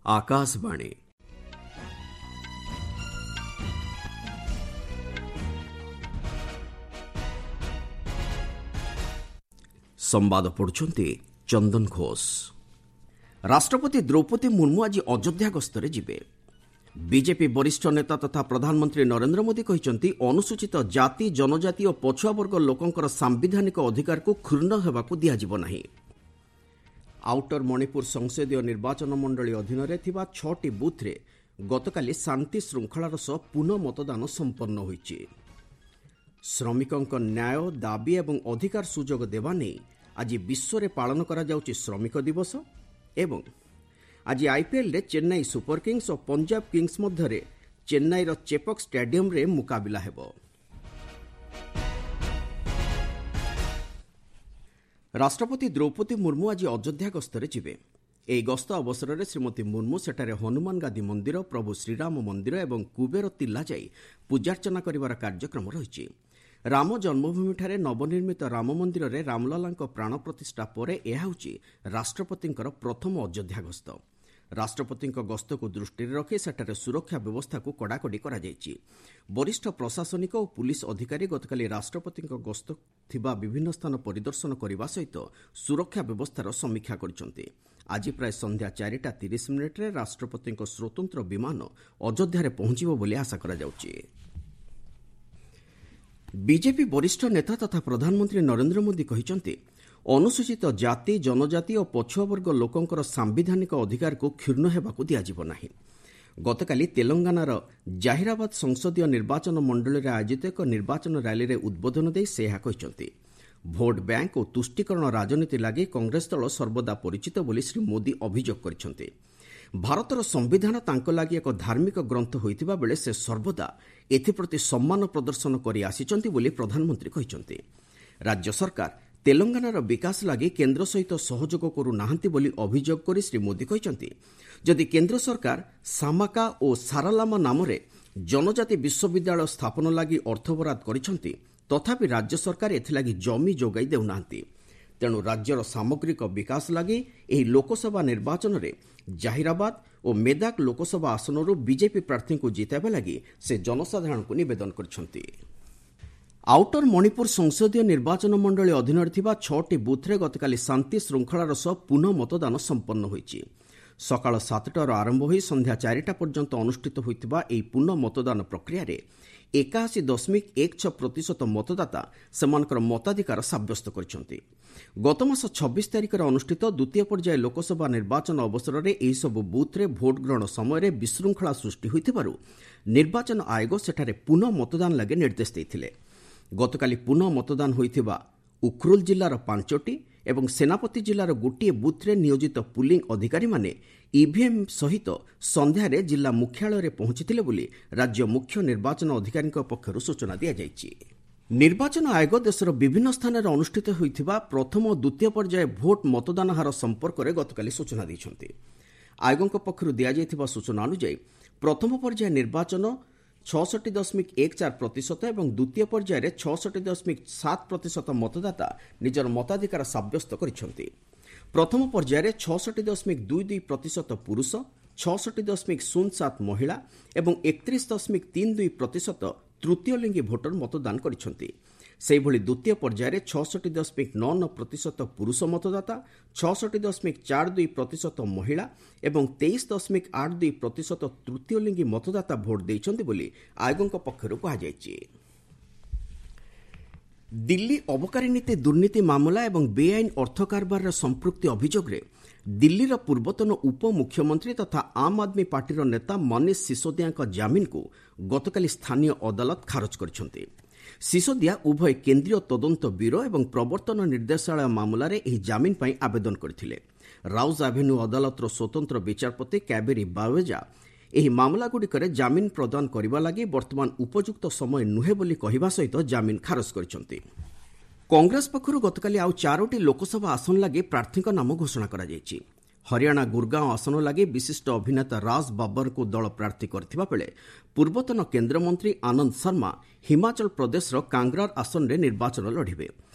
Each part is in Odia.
ଆକାଶବାଣୀ। ସମ୍ବାଦ ପଢୁଛନ୍ତି ଚନ୍ଦନ ଘୋଷ। ରାଷ୍ଟ୍ରପତି ଦ୍ରୌପଦୀ ମୁର୍ମୁ ଆଜି ଅଯୋଧ୍ୟା ଗସ୍ତରେ ଯିବେ। ବିଜେପି ବରିଷ୍ଠ ନେତା ତଥା ପ୍ରଧାନମନ୍ତ୍ରୀ ନରେନ୍ଦ୍ର ମୋଦି କହିଛନ୍ତି, ଅନୁସୂଚିତ ଜାତି, ଜନଜାତି ଓ ପଛୁଆବର୍ଗ ଲୋକଙ୍କର ସାମ୍ବିଧାନିକ ଅଧିକାରକୁ କ୍ଷୁଣ୍ଣ ହେବାକୁ ଦିଆଯିବ ନାହିଁ। ଆଉଟର ମଣିପୁର ସଂସଦୀୟ ନିର୍ବାଚନ ମଣ୍ଡଳୀ ଅଧୀନରେ ଥିବା 6ଟି ବୁଥ୍ରେ ଗତକାଲି ଶାନ୍ତି ଶୃଙ୍ଖଳାର ସହ ପୁନଃ ମତଦାନ ସମ୍ପନ୍ନ ହୋଇଛି। ଶ୍ରମିକଙ୍କ ନ୍ୟାୟ ଦାବି ଏବଂ ଅଧିକାର ସୁଯୋଗ ଦେବା ନେଇ ଆଜି ବିଶ୍ୱରେ ପାଳନ କରାଯାଉଛି ଶ୍ରମିକ ଦିବସ। ଏବଂ ଆଜି ଆଇପିଏଲ୍ରେ ଚେନ୍ନାଇ ସୁପର କିଙ୍ଗସ୍ ଓ ପଞ୍ଜାବ କିଙ୍ଗସ୍ ମଧ୍ୟରେ ଚେନ୍ନାଇର ଚେପକ୍ ଷ୍ଟାଡିୟମ୍ରେ ମୁକାବିଲା ହେବ। ରାଷ୍ଟ୍ରପତି ଦ୍ରୌପଦୀ ମୁର୍ମୁ ଆଜି ଅଯୋଧ୍ୟା ଗସ୍ତରେ ଯିବେ। ଏହି ଗସ୍ତ ଅବସରରେ ଶ୍ରୀମତୀ ମୁର୍ମୁ ସେଠାରେ ହନୁମାନ ଗାଦି ମନ୍ଦିର, ପ୍ରଭୁ ଶ୍ରୀରାମ ମନ୍ଦିର ଏବଂ କୁବେର ତିଲ୍ଲା ଯାଇ ପୂଜାର୍ଚ୍ଚନା କରିବାର କାର୍ଯ୍ୟକ୍ରମ ରହିଛି। ରାମ ଜନ୍ମଭୂମିଠାରେ ନବନିର୍ମିତ ରାମ ମନ୍ଦିରରେ ରାମଲାଲାଙ୍କ ପ୍ରାଣ ପ୍ରତିଷ୍ଠା ପରେ ଏହା ହେଉଛି ରାଷ୍ଟ୍ରପତିଙ୍କର ପ୍ରଥମ ଅଯୋଧ୍ୟା ଗସ୍ତ। ରାଷ୍ଟ୍ରପତିଙ୍କ ଗସ୍ତକୁ ଦୃଷ୍ଟିରେ ରଖି ସେଠାରେ ସୁରକ୍ଷା ବ୍ୟବସ୍ଥାକୁ କଡ଼ାକଡ଼ି କରାଯାଇଛି। ବରିଷ୍ଠ ପ୍ରଶାସନିକ ଓ ପୁଲିସ୍ ଅଧିକାରୀ ଗତକାଲି ରାଷ୍ଟ୍ରପତିଙ୍କ ଗସ୍ତ ଥିବା ବିଭିନ୍ନ ସ୍ଥାନ ପରିଦର୍ଶନ କରିବା ସହିତ ସୁରକ୍ଷା ବ୍ୟବସ୍ଥାର ସମୀକ୍ଷା କରିଛନ୍ତି। ଆଜି ପ୍ରାୟ ସନ୍ଧ୍ୟା 4ଟା 30 ମିନିଟ୍ରେ ରାଷ୍ଟ୍ରପତିଙ୍କ ସ୍ୱତନ୍ତ୍ର ବିମାନ ଅଯୋଧ୍ୟାରେ ପହଞ୍ଚିବ ବୋଲି ଆଶା କରାଯାଉଛି। ବିଜେପି ବରିଷ୍ଠ ନେତା ତଥା ପ୍ରଧାନମନ୍ତ୍ରୀ ନରେନ୍ଦ୍ର ମୋଦି କହିଛନ୍ତି, ଅନୁସୂଚିତ ଜାତି, ଜନଜାତି ଓ ପଛୁଆବର୍ଗ ଲୋକଙ୍କର ସାମ୍ବିଧାନିକ ଅଧିକାରକୁ କ୍ଷୁଣ୍ଣ ହେବାକୁ ଦିଆଯିବ ନାହିଁ। ଗତକାଲି ତେଲଙ୍ଗାନାର ଜାହିରାବାଦ ସଂସଦୀୟ ନିର୍ବାଚନ ମଣ୍ଡଳୀରେ ଆୟୋଜିତ ଏକ ନିର୍ବାଚନ ର୍ୟାଲିରେ ଉଦ୍ବୋଧନ ଦେଇ ସେ ଏହା କହିଛନ୍ତି। ଭୋଟ୍ ବ୍ୟାଙ୍କ ଓ ତୁଷ୍ଟିକରଣ ରାଜନୀତି ଲାଗି କଂଗ୍ରେସ ଦଳ ସର୍ବଦା ପରିଚିତ ବୋଲି ଶ୍ରୀ ମୋଦି ଅଭିଯୋଗ କରିଛନ୍ତି। ଭାରତର ସମ୍ବିଧାନ ତାଙ୍କ ଲାଗି ଏକ ଧାର୍ମିକ ଗ୍ରନ୍ଥ ହୋଇଥିବା ବେଳେ ସେ ସର୍ବଦା ଏଥିପ୍ରତି ସମ୍ମାନ ପ୍ରଦର୍ଶନ କରି ଆସିଛନ୍ତି ବୋଲି ପ୍ରଧାନମନ୍ତ୍ରୀ କହିଛନ୍ତି। ରାଜ୍ୟ ସରକାର ତେଲଙ୍ଗାନାର ବିକାଶ ଲାଗି କେନ୍ଦ୍ର ସହିତ ସହଯୋଗ କରୁନାହାନ୍ତି ବୋଲି ଅଭିଯୋଗ କରି ଶ୍ରୀ ମୋଦି କହିଛନ୍ତି, ଯଦି କେନ୍ଦ୍ର ସରକାର ସାମାକା ଓ ସାରାଲାମା ନାମରେ ଜନଜାତି ବିଶ୍ୱବିଦ୍ୟାଳୟ ସ୍ଥାପନ ଲାଗି ଅର୍ଥ ବରାଦ କରିଛନ୍ତି, ତଥାପି ରାଜ୍ୟ ସରକାର ଏଥିଲାଗି ଜମି ଯୋଗାଇ ଦେଉନାହାନ୍ତି। ତେଣୁ ରାଜ୍ୟର ସାମଗ୍ରିକ ବିକାଶ ଲାଗି ଏହି ଲୋକସଭା ନିର୍ବାଚନରେ ଜାହିରାବାଦ ଓ ମେଦାକ ଲୋକସଭା ଆସନରୁ ବିଜେପି ପ୍ରାର୍ଥୀଙ୍କୁ ଜିତାଇବା ଲାଗି ସେ ଜନସାଧାରଣଙ୍କୁ ନିବେଦନ କରିଛନ୍ତି। ଆଉଟର ମଣିପୁର ସଂସଦୀୟ ନିର୍ବାଚନ ମଣ୍ଡଳୀ ଅଧୀନରେ ଥିବା 6ଟି ବୁଥ୍ରେ ଗତକାଲି ଶାନ୍ତି ଶୃଙ୍ଖଳାର ସହ ପୁନଃ ମତଦାନ ସମ୍ପନ୍ନ ହୋଇଛି। ସକାଳ 7ଟାରୁ ଆରମ୍ଭ ହୋଇ ସନ୍ଧ୍ୟା 4ଟା ପର୍ଯ୍ୟନ୍ତ ଅନୁଷ୍ଠିତ ହୋଇଥିବା ଏହି ପୁନଃ ମତଦାନ ପ୍ରକ୍ରିୟାରେ 81.16% ମତଦାତା ସେମାନଙ୍କର ମତାଧିକାର ସାବ୍ୟସ୍ତ କରିଛନ୍ତି। ଗତମାସ 26 ତାରିଖରେ ଅନୁଷ୍ଠିତ ଦ୍ୱିତୀୟ ପର୍ଯ୍ୟାୟ ଲୋକସଭା ନିର୍ବାଚନ ଅବସରରେ ଏହିସବୁ ବୁଥ୍ରେ ଭୋଟ୍ ଗ୍ରହଣ ସମୟରେ ବିଶୃଙ୍ଖଳା ସୃଷ୍ଟି ହୋଇଥିବାରୁ ନିର୍ବାଚନ ଆୟୋଗ ସେଠାରେ ପୁନଃ ମତଦାନ ଲାଗି ନିର୍ଦ୍ଦେଶ ଦେଇଥିଲେ। ଗତକାଲି ପୁନଃ ମତଦାନ ହୋଇଥିବା ଉଖରୁଲ ଜିଲ୍ଲାର 5ଟି ଏବଂ ସେନାପତି ଜିଲ୍ଲାର ଗୋଟିଏ ବୁଥ୍ରେ ନିୟୋଜିତ ପୁଲିଂ ଅଧିକାରୀମାନେ ଇଭିଏମ୍ ସହିତ ସନ୍ଧ୍ୟାରେ ଜିଲ୍ଲା ମୁଖ୍ୟାଳୟରେ ପହଞ୍ଚିଥିଲେ ବୋଲି ରାଜ୍ୟ ମୁଖ୍ୟ ନିର୍ବାଚନ ଅଧିକାରୀଙ୍କ ପକ୍ଷରୁ ସୂଚନା ଦିଆଯାଇଛି। ନିର୍ବାଚନ ଆୟୋଗ ଦେଶର ବିଭିନ୍ନ ସ୍ଥାନରେ ଅନୁଷ୍ଠିତ ହୋଇଥିବା ପ୍ରଥମ ଓ ଦ୍ୱିତୀୟ ପର୍ଯ୍ୟାୟ ଭୋଟ୍ ମତଦାନ ହାର ସମ୍ପର୍କରେ ଗତକାଲି ସୂଚନା ଦେଇଛନ୍ତି। ଆୟୋଗଙ୍କ ପକ୍ଷରୁ ଦିଆଯାଇଥିବା ସୂଚନା ଅନୁଯାୟୀ, ପ୍ରଥମ ପର୍ଯ୍ୟାୟ ନିର୍ବାଚନ 66.14% ଏବଂ ଦ୍ୱିତୀୟ ପର୍ଯ୍ୟାୟରେ 66.7% ମତଦାତା ନିଜର ମତାଧିକାର ସାବ୍ୟସ୍ତ କରିଛନ୍ତି। ପ୍ରଥମ ପର୍ଯ୍ୟାୟରେ 66.22% ପୁରୁଷ, 66.07 ମହିଳା ଏବଂ 31.32% ତୃତୀୟ ଲିଙ୍ଗୀ ଭୋଟର ମତଦାନ କରିଛନ୍ତି। ସେହିଭଳି ଦ୍ୱିତୀୟ ପର୍ଯ୍ୟାୟରେ 66.99% ପୁରୁଷ ମତଦାତା, 66.42% ମହିଳା ଏବଂ 23.82% ତୃତୀୟ ଲିଙ୍ଗୀ ମତଦାତା ଭୋଟ୍ ଦେଇଛନ୍ତି ବୋଲି ଆୟୋଗଙ୍କ ପକ୍ଷରୁ କୁହାଯାଇଛି। ଦିଲ୍ଲୀ ଅବକାରୀ ନୀତି ଦୁର୍ନୀତି ମାମଲା ଏବଂ ବେଆଇନ ଅର୍ଥ କାରବାରରେ ସମ୍ପୃକ୍ତି ଅଭିଯୋଗରେ ଦିଲ୍ଲୀର ପୂର୍ବତନ ଉପମୁଖ୍ୟମନ୍ତ୍ରୀ ତଥା ଆମ୍ ଆଦମୀ ପାର୍ଟିର ନେତା ମନୀଷ ସିସୋଦିଆଙ୍କ ଜାମିନକୁ ଗତକାଲି ସ୍ଥାନୀୟ ଅଦାଲତ ଖାରଜ କରିଛନ୍ତି। ସିସୋଦିଆ ଉଭୟ କେନ୍ଦ୍ରୀୟ ତଦନ୍ତ ବ୍ୟୁରୋ ଏବଂ ପ୍ରବର୍ତ୍ତନ ନିର୍ଦ୍ଦେଶାଳୟ ମାମଲାରେ ଏହି ଜାମିନ ପାଇଁ ଆବେଦନ କରିଥିଲେ। ରାଉଜ ଆଭେନ୍ୟୁ ଅଦାଲତର ସ୍ୱତନ୍ତ୍ର ବିଚାରପତି କ୍ୟାବେରୀ ବାୱେଜା ଏହି ମାମଲାଗୁଡ଼ିକରେ ଜାମିନ ପ୍ରଦାନ କରିବା ଲାଗି ବର୍ତ୍ତମାନ ଉପଯୁକ୍ତ ସମୟ ନୁହେଁ ବୋଲି କହିବା ସହିତ ଜାମିନ ଖାରଜ କରିଛନ୍ତି। କଂଗ୍ରେସ ପକ୍ଷରୁ ଗତକାଲି ଆଉ ଚାରୋଟି ଲୋକସଭା ଆସନ ଲାଗି ପ୍ରାର୍ଥୀଙ୍କ ନାମ ଘୋଷଣା କରାଯାଇଛି। ହରିୟାଣା ଗୁରଗାଓଁ ଆସନ ଲାଗି ବିଶିଷ୍ଟ ଅଭିନେତା ରାଜ ବାବରଙ୍କୁ ଦଳ ପ୍ରାର୍ଥୀ କରିଥିବା ବେଳେ ପୂର୍ବତନ କେନ୍ଦ୍ରମନ୍ତ୍ରୀ ଆନନ୍ଦ ଶର୍ମା ହିମାଚଳ ପ୍ରଦେଶର କାଙ୍ଗରାର ଆସନରେ ନିର୍ବାଚନ ଲଢ଼ିବେ।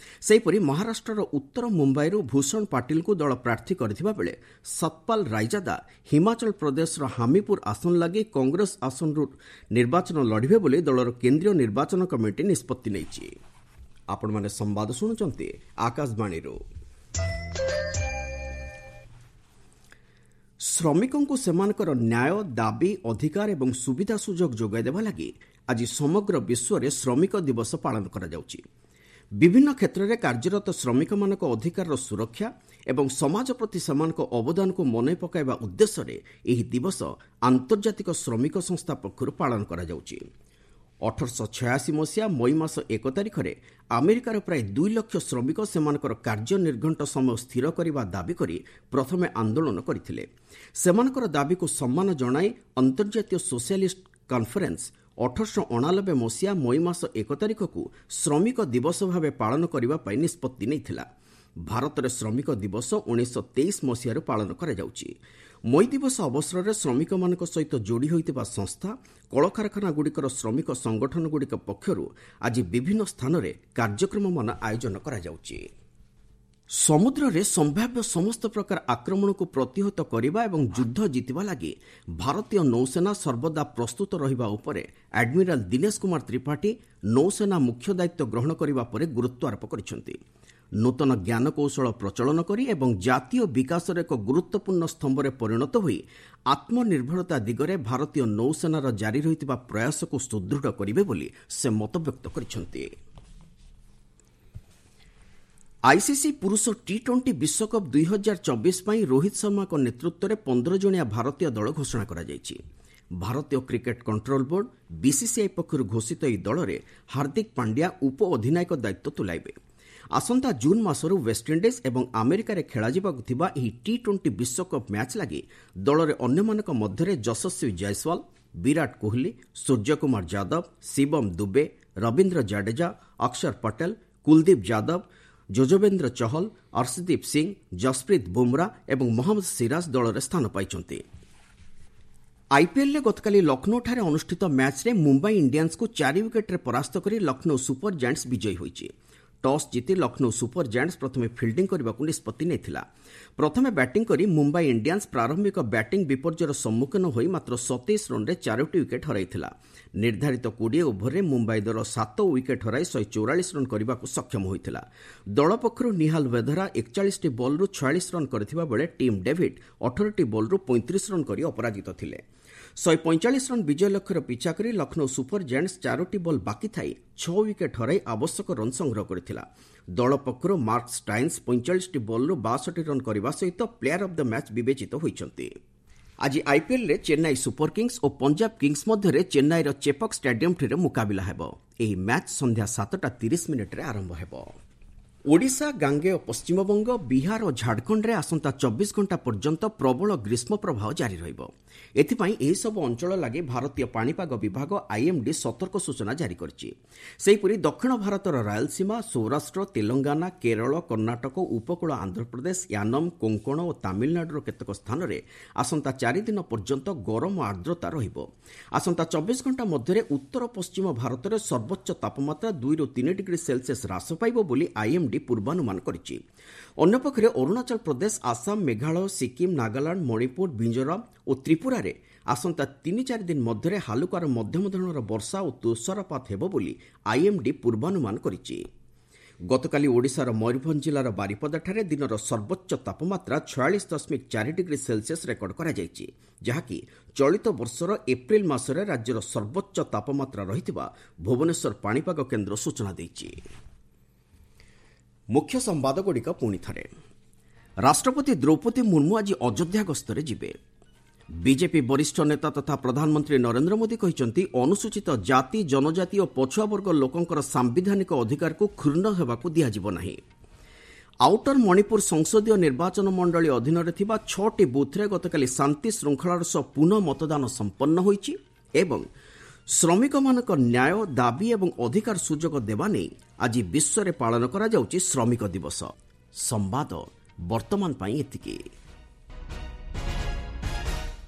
ସେହିପରି ମହାରାଷ୍ଟ୍ରର ଉତ୍ତର ମୁମ୍ବାଇରୁ ଭୂଷଣ ପାଟିଲଙ୍କୁ ଦଳ ପ୍ରାର୍ଥୀ କରିଥିବା ବେଳେ ସତପାଲ ରାଇଜାଦା ହିମାଚଳ ପ୍ରଦେଶର ହାମିପୁର ଆସନ ଲାଗି କଂଗ୍ରେସ ଆସନରୁ ନିର୍ବାଚନ ଲଢ଼ିବେ ବୋଲି ଦଳର କେନ୍ଦ୍ରୀୟ ନିର୍ବାଚନ କମିଟି ନିଷ୍ପତ୍ତି ନେଇଛି। ଆପଣମାନେ ସମ୍ବାଦ ଶୁଣୁଛନ୍ତି ଆକାଶବାଣୀରୁ। ଶ୍ରମିକଙ୍କୁ ସେମାନଙ୍କର ନ୍ୟାୟ ଦାବି, ଅଧିକାର ଏବଂ ସୁବିଧା ସୁଯୋଗ ଯୋଗାଇ ଦେବା ଲାଗି ଆଜି ସମଗ୍ର ବିଶ୍ୱରେ ଶ୍ରମିକ ଦିବସ ପାଳନ କରାଯାଉଛି। ବିଭିନ୍ନ କ୍ଷେତ୍ରରେ କାର୍ଯ୍ୟରତ ଶ୍ରମିକମାନଙ୍କ ଅଧିକାରର ସୁରକ୍ଷା ଏବଂ ସମାଜ ପ୍ରତି ସେମାନଙ୍କ ଅବଦାନକୁ ମନେ ପକାଇବା ଉଦ୍ଦେଶ୍ୟରେ ଏହି ଦିବସ ଆନ୍ତର୍ଜାତିକ ଶ୍ରମିକ ସଂସ୍ଥା ପକ୍ଷରୁ ପାଳନ କରାଯାଉଛି। 1886 ମସିହା ମଇ ମାସ 1 ତାରିଖରେ ଆମେରିକାର ପ୍ରାୟ 2 ଲକ୍ଷ ଶ୍ରମିକ ସେମାନଙ୍କର କାର୍ଯ୍ୟ ନିର୍ଘଣ୍ଟ ସମୟ ସ୍ଥିର କରିବା ଦାବି କରି ପ୍ରଥମେ ଆନ୍ଦୋଳନ କରିଥିଲେ। ସେମାନଙ୍କର ଦାବିକୁ ସମ୍ମାନ ଜଣାଇ ଅନ୍ତର୍ଜାତୀୟ ସୋସିଆଲିଷ୍ଟ କନଫରେନ୍ସ 1889 ମସିହା ମଇ ମାସ 1 ତାରିଖକୁ ଶ୍ରମିକ ଦିବସ ଭାବେ ପାଳନ କରିବା ପାଇଁ ନିଷ୍ପତ୍ତି ନେଇଥିଲା। ଭାରତରେ ଶ୍ରମିକ ଦିବସ 1923 ମସିହାରୁ ପାଳନ କରାଯାଉଛି। ମଇ ଦିବସ ଅବସରରେ ଶ୍ରମିକମାନଙ୍କ ସହିତ ଯୋଡ଼ି ହୋଇଥିବା ସଂସ୍ଥା, କଳକାରଖାନାଗୁଡ଼ିକର ଶ୍ରମିକ ସଂଗଠନଗୁଡ଼ିକ ପକ୍ଷରୁ ଆଜି ବିଭିନ୍ନ ସ୍ଥାନରେ କାର୍ଯ୍ୟକ୍ରମମାନ ଆୟୋଜନ କରାଯାଉଛି। ସମୁଦ୍ରରେ ସମ୍ଭାବ୍ୟ ସମସ୍ତ ପ୍ରକାର ଆକ୍ରମଣକୁ ପ୍ରତିହତ କରିବା ଏବଂ ଯୁଦ୍ଧ ଜିତିବା ଲାଗି ଭାରତୀୟ ନୌସେନା ସର୍ବଦା ପ୍ରସ୍ତୁତ ରହିବା ଉପରେ ଆଡମିରାଲ ଦିନେଶ କୁମାର ତ୍ରିପାଠୀ ନୌସେନା ମୁଖ୍ୟ ଦାୟିତ୍ୱ ଗ୍ରହଣ କରିବା ପରେ ଗୁରୁତ୍ୱାରୋପ କରିଛନ୍ତି। ନୂତନ ଜ୍ଞାନକୌଶଳ ପ୍ରଚଳନ କରି ଏବଂ ଜାତୀୟ ବିକାଶର ଏକ ଗୁରୁତ୍ୱପୂର୍ଣ୍ଣ ସ୍ତମ୍ଭରେ ପରିଣତ ହୋଇ ଆତ୍ମନିର୍ଭରତା ଦିଗରେ ଭାରତୀୟ ନୌସେନାର ଜାରି ରହିଥିବା ପ୍ରୟାସକୁ ସୁଦୃଢ଼ କରିବେ ବୋଲି ସେ ମତବ୍ୟକ୍ତ କରିଛନ୍ତି। ଆଇସିସି ପୁରୁଷ ଟି-20 ବିଶ୍ୱକପ୍ 2024 ପାଇଁ ରୋହିତ ଶର୍ମାଙ୍କ ନେତୃତ୍ୱରେ 15 ଜଣିଆ ଭାରତୀୟ ଦଳ ଘୋଷଣା କରାଯାଇଛି। ଭାରତୀୟ କ୍ରିକେଟ୍ କଣ୍ଟ୍ରୋଲ ବୋର୍ଡ ବିସିସିଆଇ ପକ୍ଷରୁ ଘୋଷିତ ଏହି ଦଳରେ ହାର୍ଦ୍ଦିକ ପାଣ୍ଡ୍ୟା ଉପ ଅଧିନାୟକ ଦାୟିତ୍ୱ ତୁଲାଇବେ। ଆସନ୍ତା ଜୁନ୍ ମାସରୁ ୱେଷ୍ଟଇଣ୍ଡିଜ୍ ଏବଂ ଆମେରିକାରେ ଖେଳାଯିବାକୁ ଥିବା ଏହି ଟି-20 ବିଶ୍ୱକପ୍ ମ୍ୟାଚ୍ ଲାଗି ଦଳରେ ଅନ୍ୟମାନଙ୍କ ମଧ୍ୟରେ ଯଶସ୍ୱୀ ଜୟସ୍ୱାଲ, ବିରାଟ କୋହଲି, ସୂର୍ଯ୍ୟକୁମାର ଯାଦବ, ଶିବମ ଦୁବେ, ରବୀନ୍ଦ୍ର ଜାଡେଜା, ଅକ୍ଷର ପଟେଲ, କୁଲଦୀପ ଯାଦବ, ଯୁଜବେନ୍ଦ୍ର ଚହଲ, ଅର୍ଶଦୀପ ସିଂ, ଜସପ୍ରୀତ ବୁମ୍ରା ଏବଂ ମହମ୍ମଦ ସିରାଜ ଦଳରେ ସ୍ଥାନ ପାଇଛନ୍ତି। ଆଇପିଏଲ୍ରେ ଗତକାଲି ଲକ୍ଷ୍ନୌଠାରେ ଅନୁଷ୍ଠିତ ମ୍ୟାଚ୍ରେ ମୁମ୍ବାଇ ଇଣ୍ଡିଆନ୍ସକୁ 4 ୱିକେଟ୍ରେ ପରାସ୍ତ କରି ଲକ୍ଷ୍ନୌ ସୁପର ଜାଏଣ୍ଟସ୍ ବିଜୟୀ ହୋଇଛି। ଟସ୍ ଜିତି ଲକ୍ଷ୍ନୌ ସୁପର ଜାଏଣ୍ଟସ୍ ପ୍ରଥମେ ଫିଲ୍ଡିଂ କରିବାକୁ ନିଷ୍ପତ୍ତି ନେଇଥିଲା। ପ୍ରଥମେ ବ୍ୟାଟିଂ କରି ମୁମ୍ବାଇ ଇଣ୍ଡିଆନ୍ସ ପ୍ରାରମ୍ଭିକ ବ୍ୟାଟିଂ ବିପର୍ଯ୍ୟୟର ସମ୍ମୁଖୀନ ହୋଇ ମାତ୍ର 27 ରନ୍ରେ 4ଟି ୱିକେଟ୍ ହରାଇଥିଲା। ନିର୍ଦ୍ଧାରିତ 20 ଓଭରରେ ମୁମ୍ବାଇ ଦଳ 7 ୱିକେଟ୍ ହରାଇ 144 ରନ୍ କରିବାକୁ ସକ୍ଷମ ହୋଇଥିଲା। ଦଳ ପକ୍ଷରୁ ନିହାଲ ୱେଧରା 41ଟି ବଲ୍ରୁ 46 ରନ୍ କରିଥିବା ବେଳେ ଟିମ୍ ଡେଭିଡ୍ 18ଟି ବଲ୍ରୁ 35 ରନ୍ କରି ଅପରାଜିତ ଥିଲେ। 145 ରନ୍ ବିଜୟ ଲକ୍ଷ୍ୟର ପିଛା କରି ଲକ୍ଷ୍ନୌ ସୁପର ଜାଏଣ୍ଟସ୍ 4ଟି ବଲ୍ ବାକି ଥାଇ 6 ୱିକେଟ୍ ହରାଇ ଆବଶ୍ୟକ ରନ୍ ସଂଗ୍ରହ କରିଥିଲା। ଦଳ ପକ୍ଷରୁ ମାର୍କ ଷ୍ଟାଇନ୍ସ 45ଟି ବଲ୍ରୁ 62 ରନ୍ କରିବା ସହିତ ପ୍ଲେୟାର ଅଫ୍ the match ବିବେଚିତ ହୋଇଛନ୍ତି। ଆଜି ଆଇପିଏଲ୍ରେ ଚେନ୍ନାଇ ସୁପର କିଙ୍ଗସ୍ ଓ ପଞ୍ଜାବ କିଙ୍ଗସ୍ ମଧ୍ୟରେ ଚେନ୍ନାଇର ଚେପକ୍ ଷ୍ଟାଡିୟମ୍ଠାରେ ମୁକାବିଲା ହେବ। ଏହି ମ୍ୟାଚ୍ ସନ୍ଧ୍ୟା 7:30 ଆରମ୍ଭ ହେବ। ଓଡ଼ିଶା, ଗାଙ୍ଗେୟ ପଶ୍ଚିମବଙ୍ଗ, ବିହାର ଓ ଝାଡ଼ଖଣ୍ଡରେ ଆସନ୍ତା 24 ଘଣ୍ଟା ପର୍ଯ୍ୟନ୍ତ ପ୍ରବଳ ଗ୍ରୀଷ୍ମ ପ୍ରବାହ ଜାରି ରହିବ। ଏଥିପାଇଁ ଏହିସବୁ ଅଞ୍ଚଳ ଲାଗି ଭାରତୀୟ ପାଣିପାଗ ବିଭାଗ ଆଇଏମ୍ଡି ସତର୍କ ସୂଚନା ଜାରି କରିଛି। ସେହିପରି ଦକ୍ଷିଣ ଭାରତର ରାୟଲସୀମା, ସୌରାଷ୍ଟ୍ର, ତେଲଙ୍ଗାନା, କେରଳ, କର୍ଣ୍ଣାଟକ, ଉପକୂଳ ଆନ୍ଧ୍ରପ୍ରଦେଶ, ୟାନମ, କୋଙ୍କଣ ଓ ତାମିଲନାଡୁର କେତେକ ସ୍ଥାନରେ ଆସନ୍ତା 4 ଦିନ ପର୍ଯ୍ୟନ୍ତ ଗରମ ଆର୍ଦ୍ରତା ରହିବ। ଆସନ୍ତା 24 ଘଣ୍ଟା ମଧ୍ୟରେ ଉତ୍ତର ପଶ୍ଚିମ ଭାରତରେ ସର୍ବୋଚ୍ଚ ତାପମାତ୍ରା 2ରୁ 3 ଡିଗ୍ରୀ ସେଲସିୟସ୍ ହ୍ରାସ ପାଇବ ବୋଲି ଆଇଏମ୍ଡି ପୂର୍ବାନୁମାନ କରିଛି। ଅନ୍ୟପକ୍ଷରେ ଅରୁଣାଚଳ ପ୍ରଦେଶ, ଆସାମ, ମେଘାଳୟ, ସିକିମ୍, ନାଗାଲାଣ୍ଡ, ମଣିପୁର, ମିଜୋରାମ ଓ ତ୍ରିପୁରାରେ ଆସନ୍ତା 3-4 ଦିନ ମଧ୍ୟରେ ହାଲୁକାରୁ ମଧ୍ୟମ ଧରଣର ବର୍ଷା ଓ ତୁଷାରପାତ ହେବ ବୋଲି ଆଇଏମ୍ଡି ପୂର୍ବାନୁମାନ କରିଛି। ଗତକାଲି ଓଡ଼ିଶାର ମୟୂରଭଞ୍ଜ ଜିଲ୍ଲାର ବାରିପଦାଠାରେ ଦିନର ସର୍ବୋଚ୍ଚ ତାପମାତ୍ରା 46.4 ଡିଗ୍ରୀ ସେଲସିୟସ୍ ରେକର୍ଡ କରାଯାଇଛି, ଯାହାକି ଚଳିତ ବର୍ଷର ଏପ୍ରିଲ ମାସରେ ରାଜ୍ୟର ସର୍ବୋଚ୍ଚ ତାପମାତ୍ରା ରହିଥିବା ଭୁବନେଶ୍ୱର ପାଣିପାଗ କେନ୍ଦ୍ର ସୂଚନା ଦେଇଛି। ମୁଖ୍ୟ ସମ୍ବାଦଗୁଡ଼ିକ ପୁଣି ଥରେ। ରାଷ୍ଟ୍ରପତି ଦ୍ରୌପଦୀ ମୁର୍ମୁ ଆଜି ଅଯୋଧ୍ୟା ଗସ୍ତରେ ଯିବେ। ବିଜେପି ବରିଷ୍ଠ ନେତା ତଥା ପ୍ରଧାନମନ୍ତ୍ରୀ ନରେନ୍ଦ୍ର ମୋଦି କହିଛନ୍ତି, ଅନୁସୂଚିତ ଜାତି, ଜନଜାତି ଓ ପଛୁଆ ବର୍ଗ ଲୋକଙ୍କର ସାମ୍ବିଧାନିକ ଅଧିକାରକୁ କ୍ଷୁଣ୍ଣ ହେବାକୁ ଦିଆଯିବ ନାହିଁ। ଆଉଟର ମଣିପୁର ସଂସଦୀୟ ନିର୍ବାଚନ ମଣ୍ଡଳୀ ଅଧୀନରେ ଥିବା 6ଟି ବୁଥ୍ରେ ଗତକାଲି ଶାନ୍ତି ଶୃଙ୍ଖଳାର ସହ ପୁନଃ ମତଦାନ ସମ୍ପନ୍ନ ହୋଇଛି ଏବଂ ଶ୍ରମିକମାନଙ୍କ ନ୍ୟାୟ ଦାବି ଏବଂ ଅଧିକାର ସୁଯୋଗ ଦେବା ନେଇ ଆଜି ବିଶ୍ୱରେ ପାଳନ କରାଯାଉଛି ଶ୍ରମିକ ଦିବସ। ସମ୍ବାଦ ବର୍ତ୍ତମାନ ପାଇଁ ଏତିକି।